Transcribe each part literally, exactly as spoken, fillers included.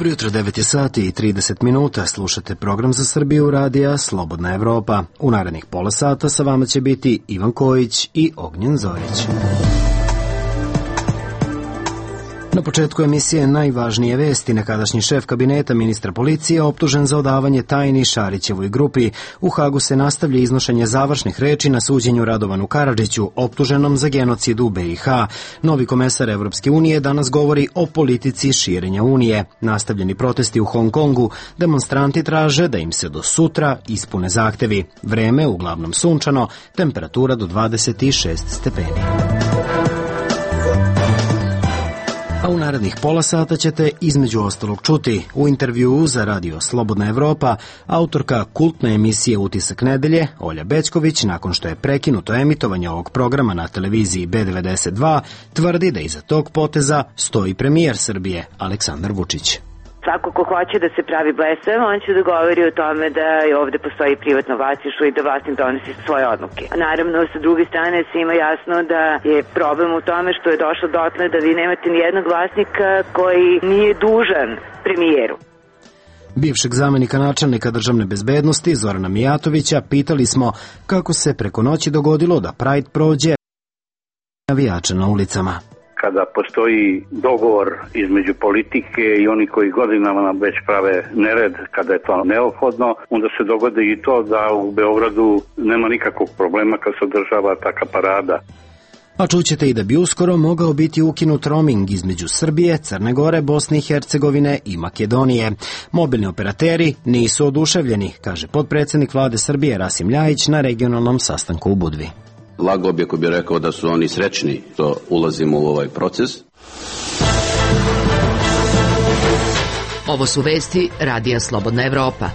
Dobro jutro, devet je sati i trideset minuta. Slušate program za Srbiju radija Slobodna Evropa. U narednih pola sata sa vama će biti Ivan Kojić i Ognjen Zorić. Na početku emisije najvažnije vesti. Nekadašnji šef kabineta ministra policije optužen za odavanje tajni Šarićevoj grupi. U Hagu se nastavlja iznošenje završnih reči na suđenju Radovanu Karadžiću, optuženom za genocid u B i H. Novi komesar Evropske unije danas govori o politici širenja Unije. Nastavljeni protesti u Hong Kongu, demonstranti traže da im se do sutra ispune zahtevi. Vreme uglavnom sunčano, temperatura do dvadeset šest stepeni. A u narednih pola sata ćete između ostalog čuti u intervjuu za radio Slobodna Evropa autorka kultne emisije Utisak nedelje Olja Bećković, nakon što je prekinuto emitovanje ovog programa na televiziji B devedeset dva, tvrdi da iza tog poteza stoji premijer Srbije Aleksandar Vučić. Svako ko hoće da se pravi blesav, on će da govori o tome da i ovde postoji privatno vlasništvo i da vlasnik donosi svoje odluke. A naravno, sa druge strane, svima jasno da je problem u tome što je došlo dotle da vi nemate ni jednog vlasnika koji nije dužan premijeru. Bivšeg zamenika načelnika državne bezbednosti Zorana Mijatovića pitali smo kako se preko noći dogodilo da Pride prođe navijača na ulicama. Kada postoji dogovor između politike i oni koji godinama nam već prave nered, kada je to neophodno, onda se dogodi i to da u Beogradu nema nikakvog problema kad se održava taka parada. A čućete i da bi uskoro mogao biti ukinut roaming između Srbije, Crne Gore, Bosne i Hercegovine i Makedonije. Mobilni operateri nisu oduševljeni, kaže potpredsednik vlade Srbije Rasim Ljajić na regionalnom sastanku u Budvi. Lagao bi ako bi rekao da su oni srećni što ulazimo u ovaj proces. Ovo su vesti radija Slobodna Evropa.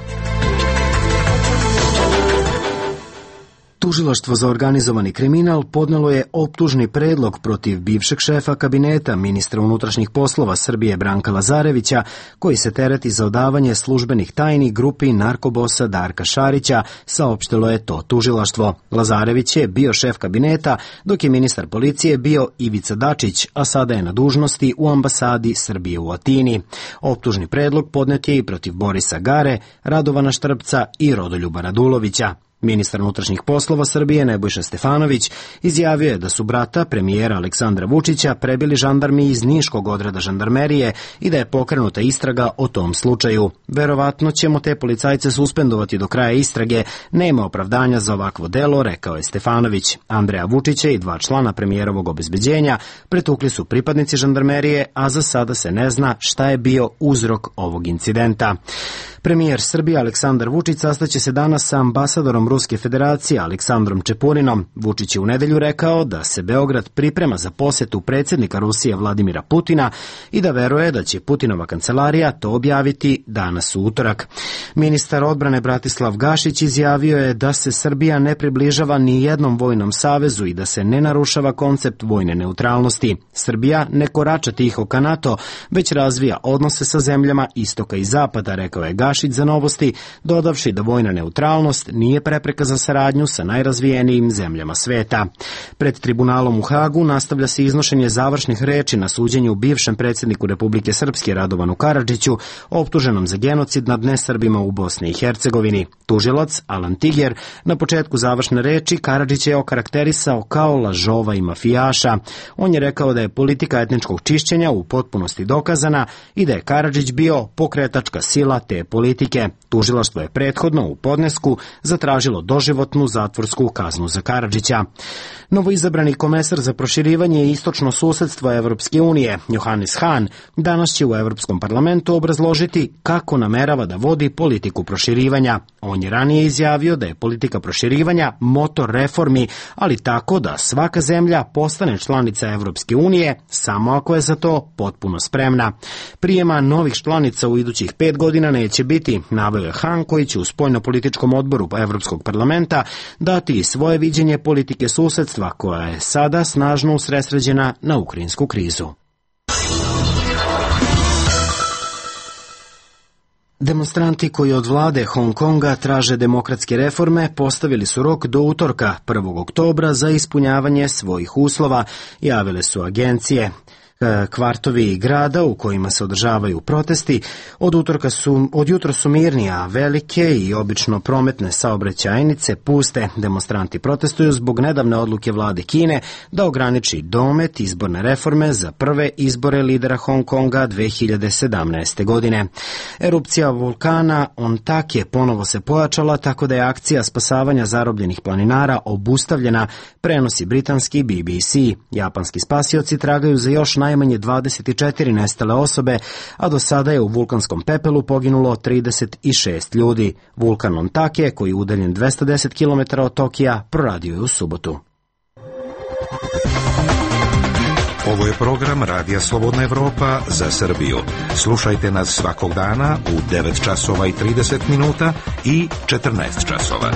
Tužilaštvo za organizovani kriminal podnelo je optužni predlog protiv bivšeg šefa kabineta ministra unutrašnjih poslova Srbije Branka Lazarevića, koji se tereti za odavanje službenih tajni grupi narkobosa Darka Šarića, saopštilo je to tužilaštvo. Lazarević je bio šef kabineta, dok je ministar policije bio Ivica Dačić, a sada je na dužnosti u ambasadi Srbije u Atini. Optužni predlog podnet je i protiv Borisa Gare, Radovana Štrpca i Rodoljuba Radulovića. Ministar unutrašnjih poslova Srbije Nebojša Stefanović izjavio je da su brata premijera Aleksandra Vučića prebili žandarmi iz Niškog odreda žandarmerije i da je pokrenuta istraga o tom slučaju. Verovatno ćemo te policajce suspendovati do kraja istrage, nema opravdanja za ovakvo delo, rekao je Stefanović. Andreja Vučića i dva člana premijerovog obezbeđenja pretukli su pripadnici žandarmerije, a za sada se ne zna šta je bio uzrok ovog incidenta. Premijer Srbije Aleksandar Vučić sastaće se danas sa ambasadorom Ruske federacije Aleksandrom Čepurinom. Vučić je u nedelju rekao da se Beograd priprema za posetu predsjednika Rusije Vladimira Putina i da veruje da će Putinova kancelarija to objaviti danas u utorak. Ministar odbrane Bratislav Gašić izjavio je da se Srbija ne približava ni jednom vojnom savezu i da se ne narušava koncept vojne neutralnosti. Srbija ne korača tiho ka NATO, već razvija odnose sa zemljama istoka i zapada, rekao je Gašić za Novosti, dodavši da vojna neutralnost nije prepreka za saradnju sa najrazvijenijim zemljama sveta. Pred tribunalom u Hagu nastavlja se iznošenje završnih reči na suđenju bivšem predsjedniku Republike Srpske Radovanu Karadžiću, optuženom za genocid nad nesrbima u Bosni i Hercegovini. Tužilac Alan Tiger na početku završne reči Karadžića je okarakterisao kao lažova i mafijaša. On je rekao da je politika etničkog čišćenja u potpunosti dokazana i da je Karadžić bio pokretačka sila te politike. Tužilaštvo je prethodno u podnesku zatražilo doživotnu zatvorsku kaznu za Karadžića. Novoizabrani komesar za proširivanje i istočno susedstvo Evropske unije, Johannes Hahn, danas će u Evropskom parlamentu obrazložiti kako namerava da vodi politiku proširivanja. On je ranije izjavio da je politika proširivanja motor reformi, ali tako da svaka zemlja postane članica Evropske unije samo ako je za to potpuno spremna. Prijema novih članica u idućih pet godina neće biti, naveo je Hahn, koji će u spoljnopolitičkom odboru Evropskog parlamenta dati i svoje viđenje politike susedstva koja je sada snažno usredsređena na ukrajinsku krizu. Demonstranti koji od vlade Hong Konga traže demokratske reforme postavili su rok do utorka, prvog oktobra, za ispunjavanje svojih uslova, javile su agencije. Kvartovi grada u kojima se održavaju protesti od utorka su, od jutra su mirni, a velike i obično prometne saobraćajnice puste. Demonstranti protestuju zbog nedavne odluke vlade Kine da ograniči domet izborne reforme za prve izbore lidera Hong Konga dve hiljade sedamnaeste. godine. Erupcija vulkana Ontake ponovo se pojačala, tako da je akcija spasavanja zarobljenih planinara obustavljena, prenosi britanski B B C. Japanski spasioci tragaju za još najmanje dvadeset četiri nestale osobe, a do sada je u vulkanskom pepelu poginulo trideset šest ljudi. Vulkan Ontake, koji je udaljen dvesta deset kilometara od Tokija, proradio je u subotu. Ovo je program Radija Slobodna Evropa za Srbiju. Slušajte nas svakog dana u devet časova i trideset minuta i četrnaest časova.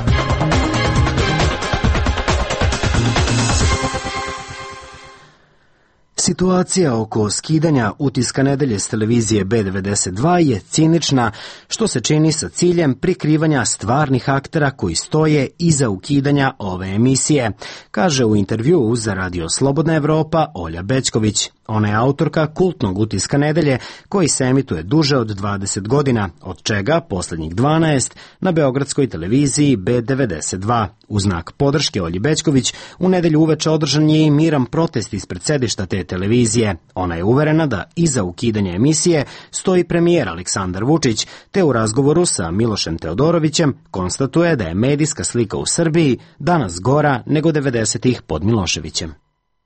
Situacija oko skidanja utiska nedelje s televizije B devedeset dva je cinična, što se čini sa ciljem prikrivanja stvarnih aktera koji stoje iza ukidanja ove emisije, kaže u intervjuu za Radio Slobodna Evropa Olja Bećković. Ona je autorka kultnog utiska nedelje koji se emituje duže od dvadeset godina, od čega posljednjih dvanaest na beogradskoj televiziji B devedeset dva. U znak podrške Olji Bećković u nedelju uveče održan je i miran protest ispred sedišta te televizije. Ona je uverena da iza ukidanja emisije stoji premijer Aleksandar Vučić, te u razgovoru sa Milošem Teodorovićem konstatuje da je medijska slika u Srbiji danas gora nego devedesetih pod Miloševićem.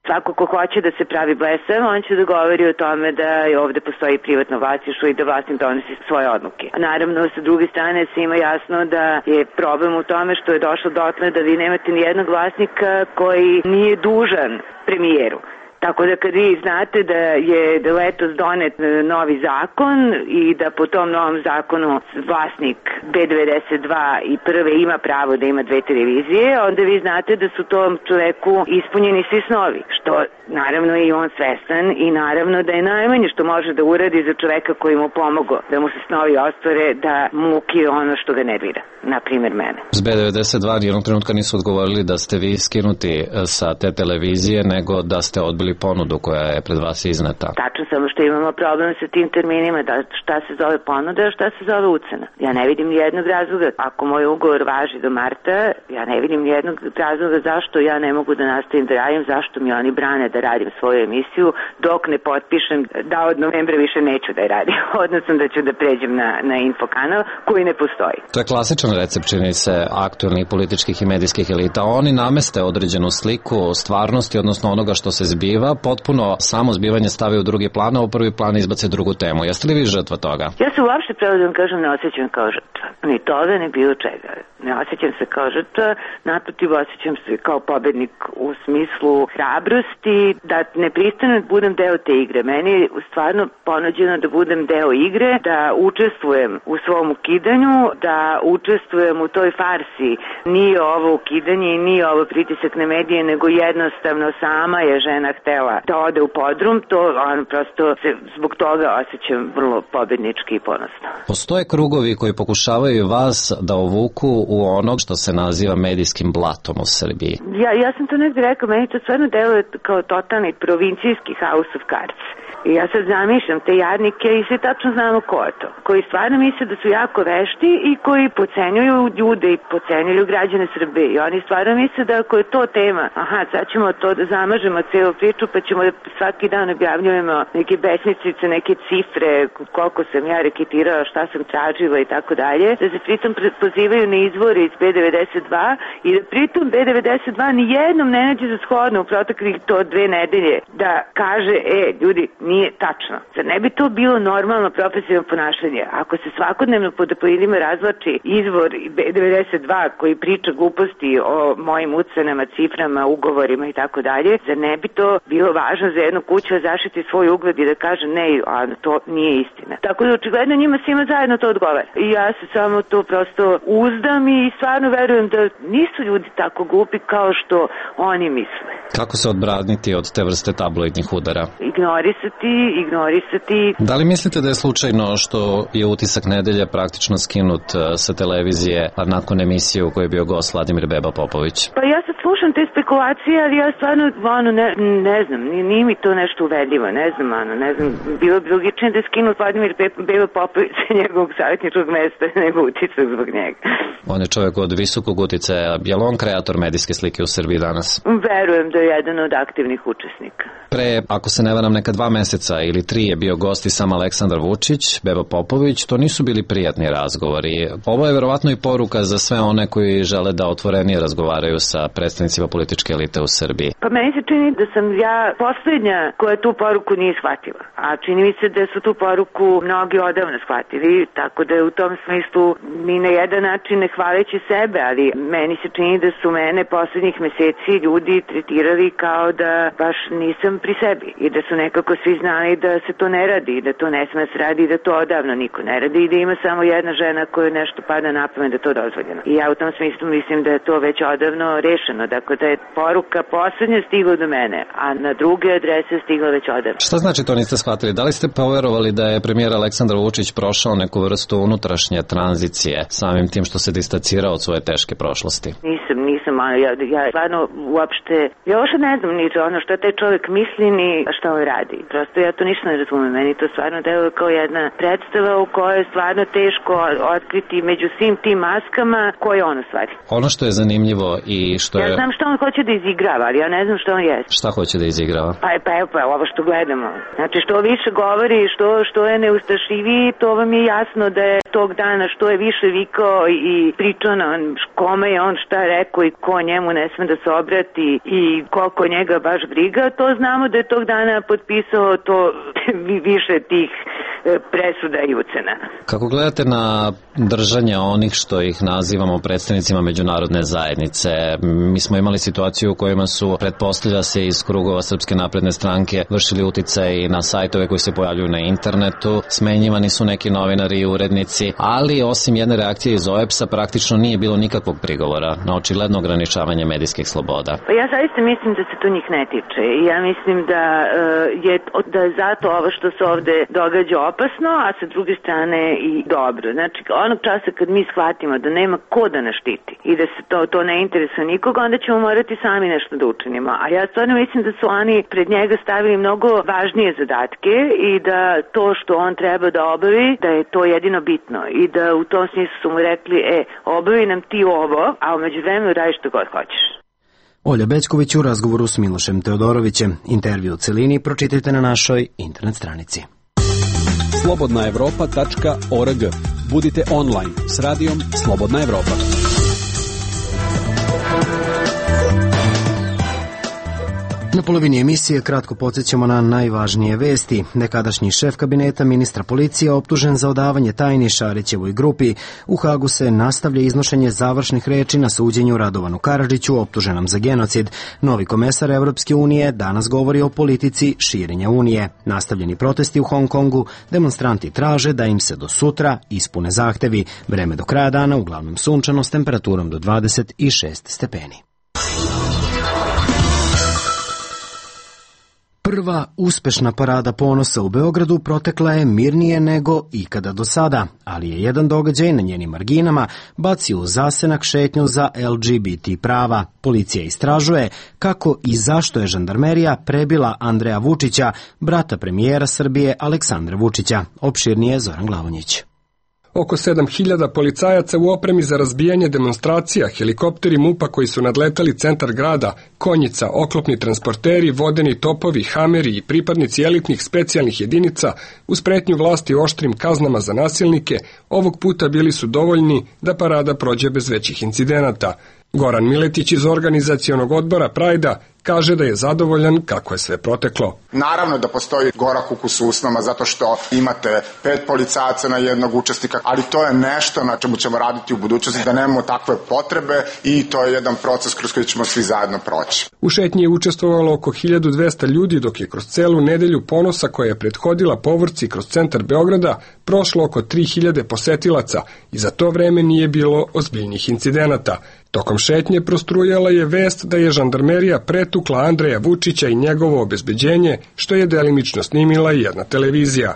Svako ko hoće da se pravi blesav, on će da govori o tome da je ovde postoji privatno vlasništvo i da vlasnik donosi svoje odluke. A naravno, sa druge strane, svima jasno da je problem u tome što je došlo dotle da vi nemate ni jednog vlasnika koji nije dužan premijeru. Tako da kad vi znate da je letos donet novi zakon i da po tom novom zakonu vlasnik B devedeset dva i prve ima pravo da ima dve televizije, onda vi znate da su tom čoveku ispunjeni svi snovi, što naravno je i on svestan i naravno da je najmanje što može da uradi za čoveka koji mu pomogao da mu se snovi ostvare, da mu ukije ono što ga nervira, na primjer mene. S B devedeset dva jednog trenutka nisu odgovorili da ste vi skinuti sa te televizije, nego da ste odbili ponudu koja je pred vas izneta. Tačno, samo što imamo problem sa tim terminima, da šta se zove ponuda, a šta se zove ucena. Ja ne vidim nijednog razloga, ako moj ugovor važi do marta, ja ne vidim nijednog razloga zašto ja ne mogu da nastavim da radim, zašto mi oni brane da radim svoju emisiju, dok ne potpišem da od novembra više neću da je radim, odnosno da ću da pređem na, na infokanal koji ne postoji. To je klasičan recept, čini se, aktuelnih političkih i medijskih elita. Oni nameste određenu sliku stvarnosti, odnosno onoga što se zbiva, potpuno samo zbivanje stave u drugi plan, a u prvi plan izbace drugu temu. Jeste li vi žrtva toga? Ja se uopšte, pravo da vam kažem, ne osjećam kao žrtva. Ni toga, ni bilo čega. Ne osjećam se kao žrtva, naprotiv, osjećam se kao pobednik u smislu hrabrosti, da ne pristanem da budem deo te igre. Meni je stvarno ponuđeno da budem deo igre, da učestvujem u svom ukidanju, da učestvujem u toj farsi. Nije ovo ukidanje i nije ovo pritisak na medije, nego jednostavno sama je žena htela da ode u podrum, to on prosto se zbog toga osjećam vrlo pobednički i ponosno. Postoje krugovi koji pokušavaju vas da ovuku u onog što se naziva medijskim blatom u Srbiji. Ja, ja sam to negdje rekao, meni to stvarno deluje kao totalni provincijski House of Cards. I ja sad zamišljam te jadnike i sve tačno znamo ko je to. Koji stvarno misle da su jako vešti i koji pocenjuju ljude i pocenjuju građane Srbije. I oni stvarno misle da ako je to tema, aha, sad ćemo to da zamažemo celu priču pa ćemo da svaki dan objavljujemo neke besmislice, neke cifre, koliko sam ja reketirala, šta sam tražila i tako dalje. Da se pritom pozivaju na izvore iz B devedeset dva i da pritom B devedeset dva ni jednom ne nađe za shodno u proteklih to dve nedelje da kaže, e, ljudi, nije tačno. Zar ne bi to bilo normalno profesionalno ponašanje? Ako se svakodnevno pod pojedima razvlači izvor B devedeset dva koji priča gluposti o mojim ucenama, ciframa, ugovorima i tako dalje, zar ne bi to bilo važno za jednu kuću da zaštiti svoj ugled i da kaže ne, a to nije istina. Tako da očigledno njima svima zajedno to odgovara. I ja se samo to prosto uzdam i stvarno verujem da nisu ljudi tako glupi kao što oni misle. Kako se odbraniti od te vrste tabloidnih udara? Ignorisati, ignorisati. Da li mislite da je slučajno što je utisak nedelje praktično skinut sa televizije nakon emisije u kojoj je bio gost Vladimir Beba Popović? Pa ja sad slušam slušam te spekulacije, ali ja stvarno, ono, ne, ne znam, nije mi to nešto uvedljivo, ne znam, ono, ne znam, bilo bi logičnije da je skinuo Vladimir Belo Popović sa njegovog savjetničkog mesta nego utisak zbog njega. On je čovjek od visokog uticaja. Je li on kreator medijske slike u Srbiji danas? Verujem da je jedan od aktivnih učesnika. Pre, ako se ne varam, neka dva meseca ili tri je bio gost i sam Aleksandar Vučić, Bebo Popović, to nisu bili prijatni razgovori. Ovo je verovatno i poruka za sve one koji žele da otvorenije razgovaraju sa predstavnicima političke elite u Srbiji. Pa meni se čini da sam ja posljednja koja tu poruku nije shvatila, a čini mi se da su tu poruku mnogi odavno shvatili, tako da je u tom smislu ni na jedan način ne hvaleći sebe, ali meni se čini da su mene posljednjih meseci ljudi tretirali kao da baš nisam pri sebi i da su nekako svi znali da se to ne radi i da to ne sme se radi i da to odavno niko ne radi i da ima samo jedna žena koja nešto pada na pamet da to dozvoljeno. I ja u tom smislu mislim da je to već odavno rešeno, dakle da je poruka poslednja stigla do mene, a na druge adrese stigla već odavno. Šta znači to niste shvatili? Da li ste poverovali da je premijer Aleksandar Vučić prošao neku vrstu unutrašnje tranzicije samim tim što se distancirao od svoje teške prošlosti? Nisam, nisam, ali ja, ja stvarno uopšte, ja uopšte ne znam ni ono što taj čovjek misli ni šta on radi. Prosto ja to ništa ne razumem, meni to stvarno deluje kao jedna predstava u kojoj je stvarno teško otkriti među svim tim maskama ko je on u stvari. Ono što je zanimljivo i što je... Ja znam što on hoće da izigrava, ali ja ne znam što on je. Šta hoće da izigrava? Pa, pa evo, pa ovo što gledamo. Znači što više govori, što, što je neustrašiviji, to vam je jasno da je tog dana što je više vikao i pričao na kome je on šta rekao i ko njemu ne sme da se obrati i koliko njega baš briga, to znamo da je tog dana potpisao to više tih presuda i ucena. Kako gledate na držanje onih što ih nazivamo predstavnicima međunarodne zajednice? Mi smo imali situaciju u kojima su, pretpostavlja se, iz krugova Srpske napredne stranke vršili uticaj na sajtove koji se pojavljuju na internetu, smenjivani su neki novinari i urednici, ali osim jedne reakcije iz O E P S-a praktično nije bilo nikakvog prigovora na očigledno ograničavanje medijskih sloboda. Pa ja zaista mislim da se to njih ne tiče i ja mislim da je, da je zato ovo što se ovde događa opasno, a sa druge strane i dobro. Znači, onog časa kad mi shvatimo da nema ko da nas štiti i da se to, to ne interesuje nikoga, onda ćemo morati sami nešto da učinimo. A ja stvarno mislim da su oni pred njega stavili mnogo važnije zadatke i da to što on treba da obavi, da je to jedino bitno i da u tom smislu su mu rekli, e, obavi nam ti ovo, a umeđu vremenu radi što god hoćeš. Olja Bećković u razgovoru s Milošem Teodorovićem. Intervju u celini pročitajte na našoj internet stranici. slobodna evropa tačka org. Budite online s radijom Slobodna Evropa. Na polovini emisije kratko podsjećamo na najvažnije vesti. Nekadašnji šef kabineta ministra policije optužen za odavanje tajni Šarićevoj grupi. U Hagu se nastavlja iznošenje završnih reči na suđenju Radovanu Karadžiću, optuženom za genocid. Novi komesar Evropske unije danas govori o politici širenja unije. Nastavljeni protesti u Hong Kongu, demonstranti traže da im se do sutra ispune zahtevi. Vreme do kraja dana uglavnom sunčano s temperaturom do dvadeset šest stepeni. Prva uspešna parada ponosa u Beogradu protekla je mirnije nego ikada do sada, ali je jedan događaj na njenim marginama bacio u zasenak šetnju za L G B T prava. Policija istražuje kako i zašto je žandarmerija prebila Andreja Vučića, brata premijera Srbije Aleksandra Vučića. Opširnije Zoran Glavonjić. Oko sedam hiljada policajaca u opremi za razbijanje demonstracija, helikopteri MUP-a koji su nadletali centar grada, konjica, oklopni transporteri, vodeni topovi, hameri i pripadnici elitnih specijalnih jedinica uz pretnju vlasti oštrim kaznama za nasilnike, ovog puta bili su dovoljni da parada prođe bez većih incidenata. Goran Miletić iz organizacionog odbora Prajda kaže da je zadovoljan kako je sve proteklo. Naravno da postoji gorak ukus u usnama zato što imate pet policajaca na jednog učesnika, ali to je nešto na čemu ćemo raditi u budućnosti, da nemamo takve potrebe i to je jedan proces kroz koji ćemo svi zajedno proći. U šetnji je učestvovalo oko hiljadu dvesta ljudi, dok je kroz celu nedelju ponosa koja je prethodila povorci kroz centar Beograda prošlo oko tri hiljade posetilaca i za to vreme nije bilo ozbiljnih incidenata. Tokom šetnje prostrujala je vest da je žandarmerija pretukla Andreja Vučića i njegovo obezbeđenje, što je delimično snimila i jedna televizija.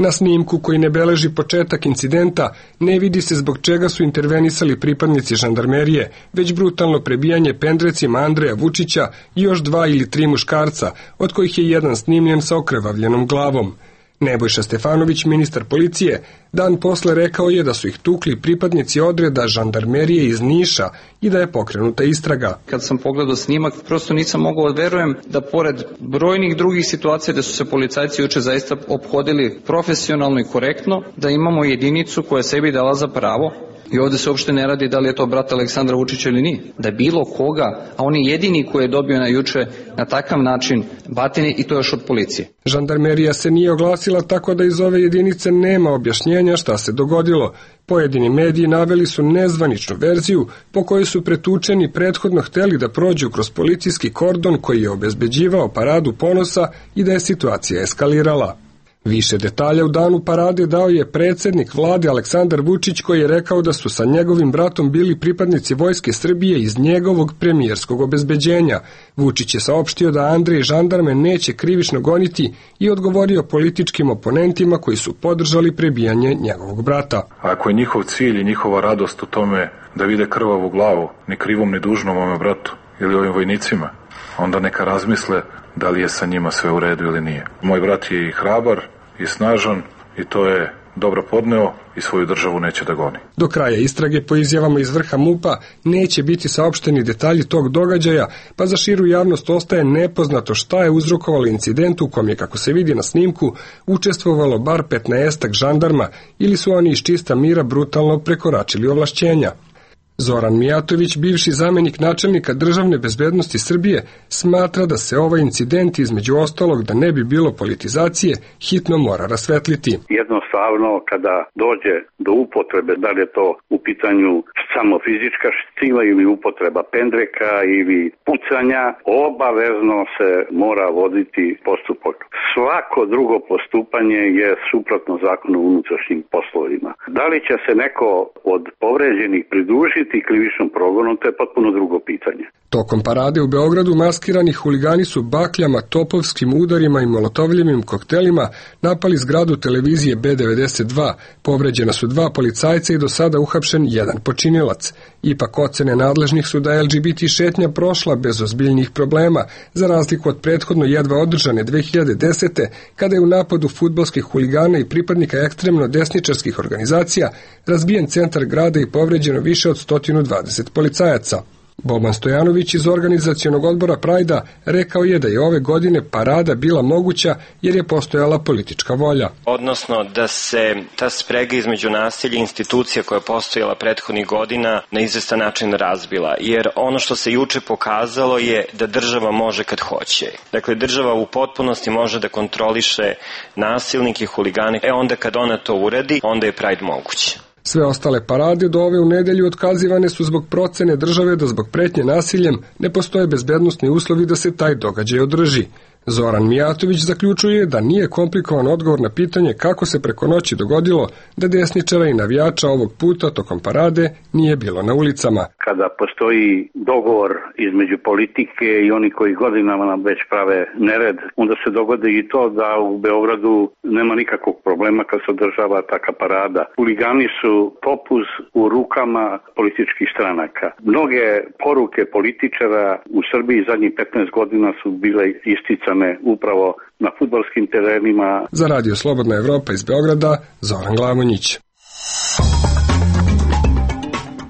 Na snimku koji ne beleži početak incidenta ne vidi se zbog čega su intervenisali pripadnici žandarmerije, već brutalno prebijanje pendrecima Andreja Vučića i još dva ili tri muškarca, od kojih je jedan snimljen sa okrvavljenom glavom. Nebojša Stefanović, ministar policije, dan posle rekao je da su ih tukli pripadnici odreda žandarmerije iz Niša i da je pokrenuta istraga. Kad sam pogledao snimak, prosto nisam mogao da verujem da pored brojnih drugih situacija da su se policajci juče zaista ophodili profesionalno i korektno, da imamo jedinicu koja sebi dala za pravo. I ovde se uopšte ne radi da li je to brat Aleksandra Vučića ili nije. Da bilo koga, a on je jedini koji je dobio na juče na takav način batine i to još od policije. Žandarmerija se nije oglasila, tako da iz ove jedinice nema objašnjenja šta se dogodilo. Pojedini mediji naveli su nezvaničnu verziju po kojoj su pretučeni prethodno hteli da prođu kroz policijski kordon koji je obezbeđivao paradu ponosa i da je situacija eskalirala. Više detalja u danu parade dao je predsednik vlade Aleksandar Vučić, koji je rekao da su sa njegovim bratom bili pripadnici Vojske Srbije iz njegovog premijerskog obezbeđenja. Vučić je saopštio da Andrej žandarme neće krivično goniti i odgovorio političkim oponentima koji su podržali prebijanje njegovog brata. Ako je njihov cilj i njihova radost u tome da vide krvavu glavu, ni krivom ni dužnom mome bratu ili ovim vojnicima, onda neka razmisle da li je sa njima sve u redu ili nije. Moj brat je i hrabar i snažan i to je dobro podneo i svoju državu neće da goni. Do kraja istrage po izjavama iz vrha MUP-a neće biti saopšteni detalji tog događaja, pa za širu javnost ostaje nepoznato šta je uzrokovalo incident u kom je, kako se vidi na snimku, učestvovalo bar petnaestak žandarma ili su oni iz čista mira brutalno prekoračili ovlašćenja. Zoran Mijatović, bivši zamenik načelnika državne bezbednosti Srbije, smatra da se ovaj incident, između ostalog da ne bi bilo politizacije, hitno mora rasvetliti. Jednostavno, kada dođe do upotrebe, da li je to u pitanju samo fizička sila ili upotreba pendreka ili pucanja, obavezno se mora voditi postupak. Svako drugo postupanje je suprotno zakonu o unutrašnjim poslovima. Da li će se neko od povređenih pridružiti krivičnom progonu, to je potpuno drugo pitanje. Tokom parade u Beogradu maskirani huligani su bakljama, topovskim udarima i molotovljivim koktelima napali zgradu televizije B devedeset dva. Povređena su dva policajca i do sada uhapšen jedan počinilac. Ipak ocene nadležnih su da L G B T šetnja prošla bez ozbiljnih problema, za razliku od prethodno jedva održane dve hiljade desete. kada je u napadu fudbalskih huligana i pripadnika ekstremno desničarskih organizacija razbijen centar grada i povređeno više od sto dvadeset policajaca. Boban Stojanović iz organizacionog odbora Prajda rekao je da je ove godine parada bila moguća jer je postojala politička volja. Odnosno da se ta sprega između nasilja i institucija koja je postojala prethodnih godina na izvestan način razbila. Jer ono što se juče pokazalo je da država može kad hoće. Dakle, država u potpunosti može da kontroliše nasilnike i huligane. E onda kad ona to uradi, onda je Pride moguće. Sve ostale parade do ove u nedelju otkazivane su zbog procene države da zbog pretnje nasiljem ne postoje bezbednosni uslovi da se taj događaj održi. Zoran Mijatović zaključuje da nije komplikovan odgovor na pitanje kako se preko noći dogodilo da desničara i navijača ovog puta tokom parade nije bilo na ulicama. Kada postoji dogovor između politike i oni koji godinama nam već prave nered, onda se dogodi i to da u Beogradu nema nikakvog problema kad se održava taka parada. Huligani su topuz u rukama političkih stranaka. Mnoge poruke političara u Srbiji zadnjih petnaest godina su bile isticane upravo na fudbalskim terenima. Za Radio Slobodna Evropa iz Beograda, Zoran Glamonjić.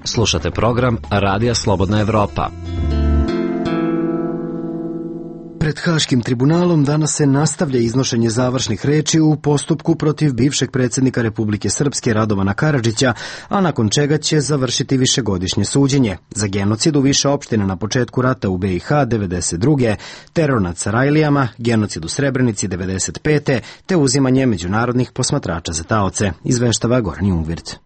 Slušate program Radija Slobodna Evropa. Pred Haškim tribunalom danas se nastavlja iznošenje završnih reči u postupku protiv bivšeg predsjednika Republike Srpske Radovana Karadžića, a nakon čega će završiti višegodišnje suđenje za genocid u više opština na početku rata u B i H devedeset druge, teror nad Sarajlijama, genocid u Srebrenici devedeset pete te uzimanje međunarodnih posmatrača za taoce, izveštava Goran Jungvirt.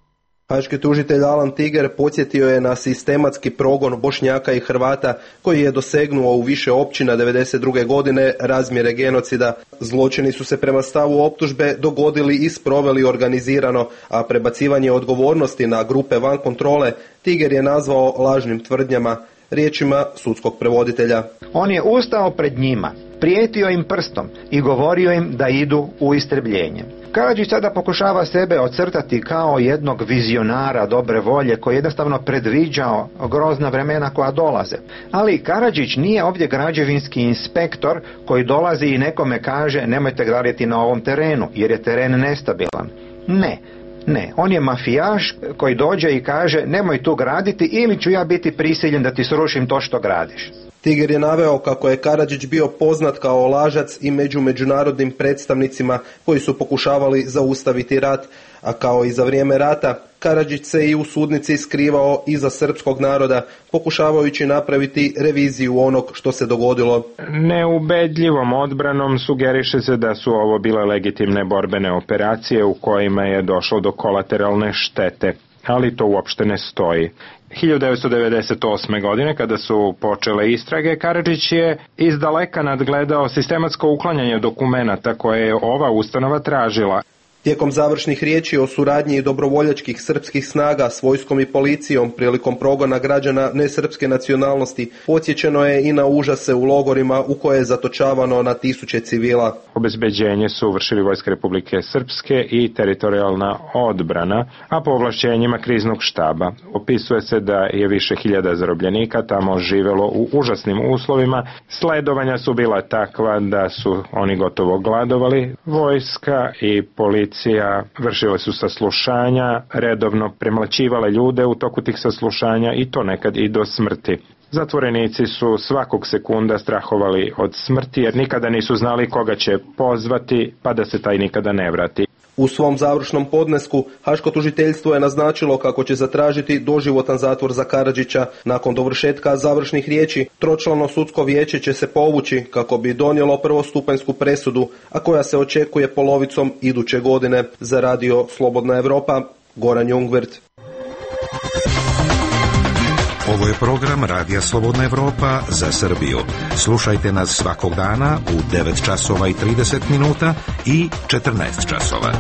Haški tužitelj Alan Tiger podsjetio je na sistematski progon Bošnjaka i Hrvata koji je dosegnuo u više općina devedeset druge godine razmjere genocida. Zločini su se prema stavu optužbe dogodili i sproveli organizirano, a prebacivanje odgovornosti na grupe van kontrole Tiger je nazvao lažnim tvrdnjama, riječima sudskog prevoditelja. On je ustao pred njima, prijetio im prstom i govorio im da idu u istrebljenje. Karadžić sada pokušava sebe ocrtati kao jednog vizionara dobre volje koji jednostavno predviđao grozna vremena koja dolaze. Ali Karadžić nije ovdje građevinski inspektor koji dolazi i nekome kaže nemojte graditi na ovom terenu jer je teren nestabilan. Ne. Ne, on je mafijaš koji dođe i kaže nemoj tu graditi ili ću ja biti prisiljen da ti srušim to što gradiš. Tiger je naveo kako je Karadžić bio poznat kao lažac i među međunarodnim predstavnicima koji su pokušavali zaustaviti rat, a kao i za vrijeme rata, Karadžić se i u sudnici skrivao iza srpskog naroda, pokušavajući napraviti reviziju onog što se dogodilo. Neubedljivom odbranom sugeriše se da su ovo bile legitimne borbene operacije u kojima je došlo do kolateralne štete, ali to uopšte ne stoji. hiljadu devetsto devedeset osme. godine, kada su počele istrage, Karadžić je izdaleka nadgledao sistematsko uklanjanje dokumenata koje je ova ustanova tražila. Tijekom završnih riječi o suradnji dobrovoljačkih srpskih snaga s vojskom i policijom prilikom progona građana nesrpske nacionalnosti, podsjećeno je i na užase u logorima u koje je zatočavano na tisuće civila. Obezbeđenje su vršili Vojska Republike Srpske i teritorijalna odbrana, a po ovlašćenjima kriznog štaba. Opisuje se da je više hiljada zarobljenika tamo živelo u užasnim uslovima. Sledovanja su bila takva da su oni gotovo gladovali. Vojska i policija vršile su saslušanja, redovno premlaćivale ljude u toku tih saslušanja i to nekad i do smrti. Zatvorenici su svakog sekunda strahovali od smrti jer nikada nisu znali koga će pozvati pa da se taj nikada ne vrati. U svom završnom podnesku Haško tužiteljstvo je naznačilo kako će zatražiti doživotan zatvor za Karadžića. Nakon dovršetka završnih riječi, tročlano sudsko vijeće će se povući kako bi donijelo prvostupanjsku presudu, a koja se očekuje polovicom iduće godine. Za radio Slobodna Evropa, Goran Jungwirth. Ovo je program Radija Slobodna Evropa za Srbiju. Slušajte nas svakog dana u devet časova i trideset minuta i četrnaest časova.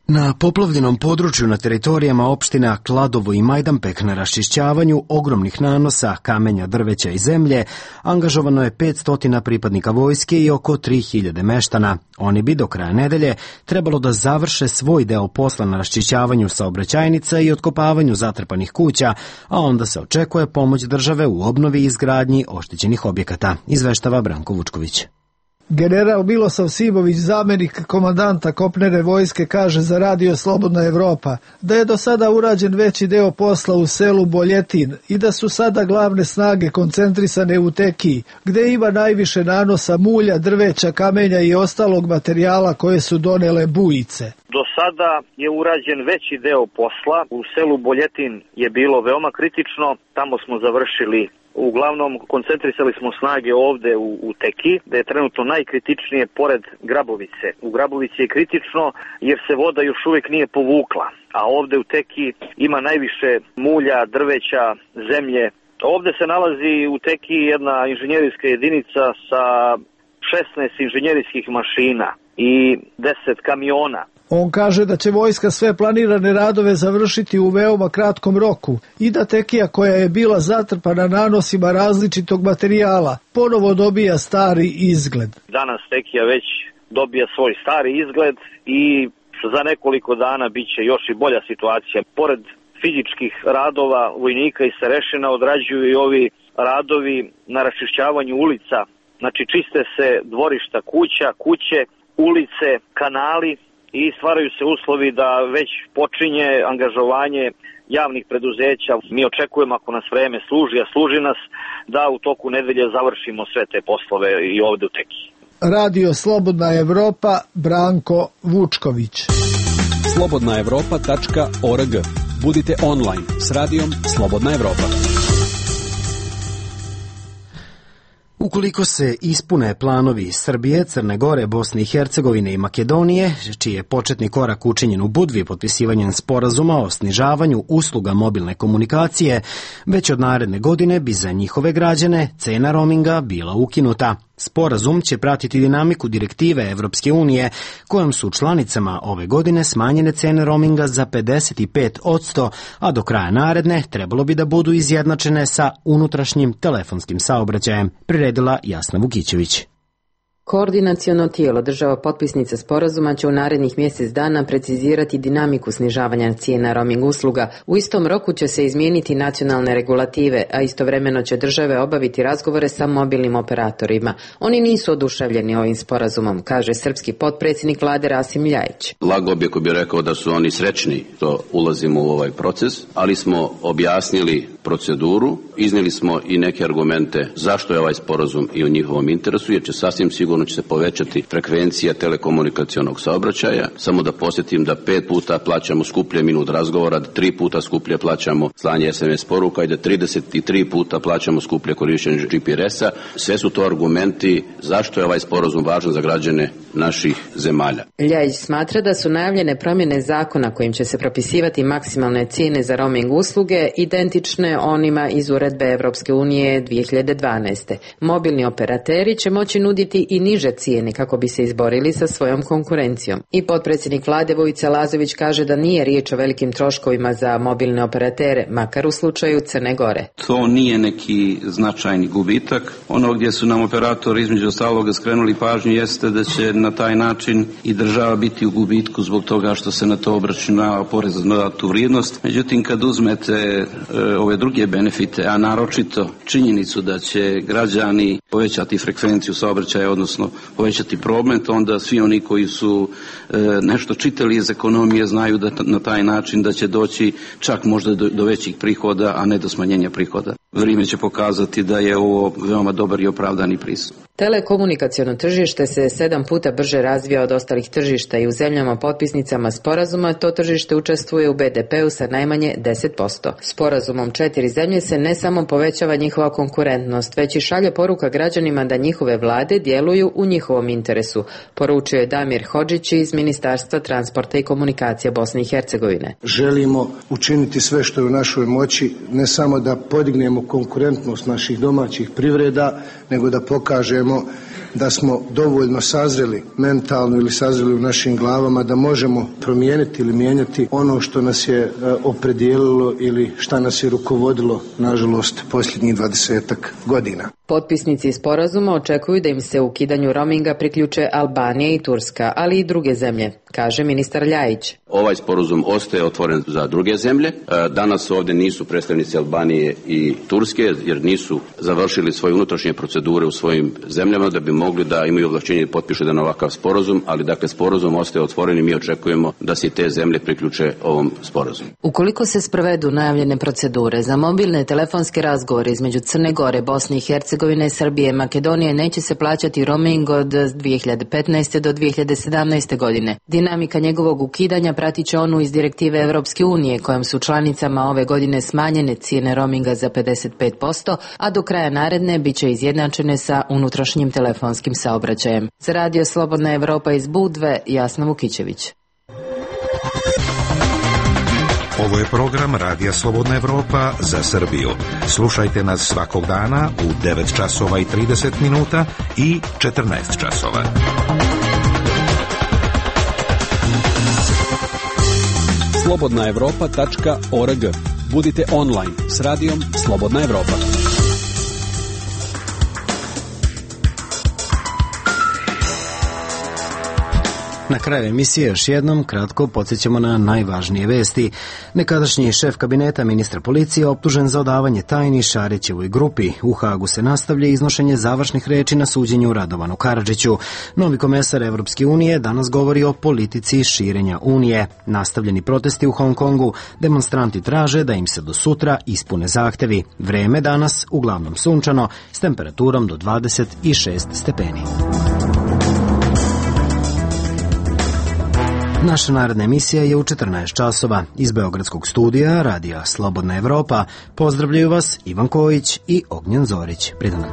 Na poplavljenom području na teritorijama opština Kladovo i Majdanpek na raščišćavanju ogromnih nanosa kamenja, drveća i zemlje angažovano je petsto pripadnika vojske i oko tri hiljade meštana. Oni bi do kraja nedelje trebalo da završe svoj deo posla na raščišćavanju saobraćajnica i otkopavanju zatrpanih kuća, a onda se očekuje pomoć države u obnovi i izgradnji oštećenih objekata, izveštava Branko Vučković. General Milosav Simović, zamenik komandanta kopnene vojske, kaže za radio Slobodna Evropa da je do sada urađen veći deo posla u selu Boljetin i da su sada glavne snage koncentrisane u Tekiji, gde ima najviše nanosa mulja, drveća, kamenja i ostalog materijala koje su donele bujice. Do sada je urađen veći deo posla. U selu Boljetin je bilo veoma kritično, tamo smo završili. Uglavnom, koncentrisali smo snage ovde u, u Teki, da je trenutno najkritičnije pored Grabovice. U Grabovici je kritično jer se voda još uvijek nije povukla, a ovde u Teki ima najviše mulja, drveća, zemlje. Ovde se nalazi u Teki jedna inženjerijska jedinica sa šesnaest inženjerijskih mašina i deset kamiona. On kaže da će vojska sve planirane radove završiti u veoma kratkom roku i da Tekija, koja je bila zatrpana nanosima različitog materijala, ponovo dobija stari izgled. Danas Tekija već dobija svoj stari izgled i za nekoliko dana bit će još i bolja situacija. Pored fizičkih radova vojnika i starešina odrađuju i ovi radovi na raščišćavanju ulica. Znači čiste se dvorišta kuća, kuće, ulice, kanali, i stvaraju se uslovi da već počinje angažovanje javnih preduzeća. Mi očekujemo, ako nas vreme služi, a služi nas, da u toku nedelje završimo sve te poslove i ovde u Teki. Radio Slobodna Evropa, Branko Vučković. slobodna evropa tačka org. Budite online s radijom Slobodna Evropa. Ukoliko se ispune planovi Srbije, Crne Gore, Bosne i Hercegovine i Makedonije, čiji je početni korak učinjen u Budvi potpisivanjem sporazuma o snižavanju usluga mobilne komunikacije, već od naredne godine bi za njihove građane cena roaminga bila ukinuta. Sporazum će pratiti dinamiku direktive Evropske unije, kojom su članicama ove godine smanjene cene roaminga za pedeset pet posto, a do kraja naredne trebalo bi da budu izjednačene sa unutrašnjim telefonskim saobraćajem, priredila Jasna Vukićević. Koordinaciono tijelo država potpisnica sporazuma će u narednih mjesec dana precizirati dinamiku snižavanja cijena roaming usluga. U istom roku će se izmijeniti nacionalne regulative, a istovremeno će države obaviti razgovore sa mobilnim operatorima. Oni nisu oduševljeni ovim sporazumom, kaže srpski potpredsjednik vlade Rasim Ljajić. Lago bi ako bi rekao da su oni srećni što ulazimo u ovaj proces, ali smo objasnili proceduru, iznijeli smo i neke argumente zašto je ovaj sporazum i u njihovom interesu, jer će sasvim sigurno će se povećati frekvencija telekomunikacionog saobraćaja. Samo da posjetim da pet puta plaćamo skuplje minut razgovora, da tri puta skuplje plaćamo slanje es em es poruka i da trideset tri puta plaćamo skuplje korištenje G P R S-a. Sve su to argumenti zašto je ovaj sporazum važan za građane naših zemalja. Ljajić smatra da su najavljene promjene zakona kojim će se propisivati maksimalne cijene za roaming usluge identične onima iz uredbe Evropske unije dvije hiljade dvanaeste. Mobilni operateri će moći nuditi i niže cijene kako bi se izborili sa svojom konkurencijom. I potpredsjednik vlade Vojica Lazović kaže da nije riječ o velikim troškovima za mobilne operatere, makar u slučaju Crne Gore. To nije neki značajni gubitak. Ono gdje su nam operatori između ostaloga skrenuli pažnju jeste da će na taj način i država biti u gubitku zbog toga što se na to obračunava porez na dodatu vrijednost. Međutim, kad uzmete e, ove druge benefite, a naročito činjenicu da će građani povećati frekvenciju saobraćaja, odnosno povećati promet, onda svi oni koji su e, nešto čitali iz ekonomije znaju da na taj način da će doći čak možda do, do većih prihoda, a ne do smanjenja prihoda. Vrijeme će pokazati da je ovo veoma dobar i opravdani pristup. Telekomunikaciono tržište se sedam puta brže razvija od ostalih tržišta i u zemljama potpisnicama sporazuma to tržište učestvuje u be de peu sa najmanje deset posto. Sporazumom četiri zemlje se ne samo povećava njihova konkurentnost, već i šalje poruka građanima da njihove vlade djeluju u njihovom interesu, poručio je Damir Hodžić iz Ministarstva transporta i komunikacija Bosne i Hercegovine. Želimo učiniti sve što je u našoj moći, ne samo da podignemo konkurentnost naših domaćih privreda, nego da pokažemo da smo dovoljno sazreli mentalno ili sazreli u našim glavama da možemo promijeniti ili mijenjati ono što nas je opredijelilo ili šta nas je rukovodilo, nažalost, posljednjih dvadesetak godina. Potpisnici sporazuma očekuju da im se u ukidanju roaminga priključe Albanija i Turska, ali i druge zemlje, kaže ministar Ljajić. Ovaj sporazum ostaje otvoren za druge zemlje. Danas ovdje nisu predstavnici Albanije i Turske, jer nisu završili svoje unutrašnje procedure u svojim zemljama da bi mogli da imaju ovlašćenje i potpišu jedan ovakav sporazum, ali dakle sporazum ostaje otvoren i mi očekujemo da se te zemlje priključe ovom sporazumu. Ukoliko se sprovedu najavljene procedure za mobilne telefonske razgovore između Crne Gore, Bosne i Hercegovine, Srbije i Makedonije, neće se plaćati roaming od dvije hiljade petnaeste do dvije hiljade sedamnaeste godine. Dinamika njegovog ukidanja pratit će onu iz direktive Evropske unije, kojom su članicama ove godine smanjene cijene roaminga za pedeset pet posto, a do kraja naredne bit će izjednačene sa unutrašnjim telefonskim saobraćajem. Za Radio Slobodna Evropa iz Budve, Jasna Vukićević. Ovo je program Radija Slobodna Evropa za Srbiju. Slušajte nas svakog dana u devet časova i trideset minuta i četrnaest časova. slobodna evropa tačka org. Budite online s radijom Slobodna Evropa. Na kraju emisije još jednom kratko podsjećamo na najvažnije vesti. Nekadašnji šef kabineta ministra policije optužen za odavanje tajni Šarićevoj grupi. U Hagu se nastavlja iznošenje završnih reči na suđenju Radovanu Karadžiću. Novi komesar Evropske unije danas govori o politici širenja Unije. Nastavljeni protesti u Hong Kongu. Demonstranti traže da im se do sutra ispune zahtevi. Vreme danas uglavnom sunčano s temperaturom do dvadeset šest stepeni. Naša naredna emisija je u četrnaest časova. Iz Beogradskog studija Radija Slobodna Evropa pozdravljaju vas Ivan Kojić i Ognjen Zorić. Prijetno.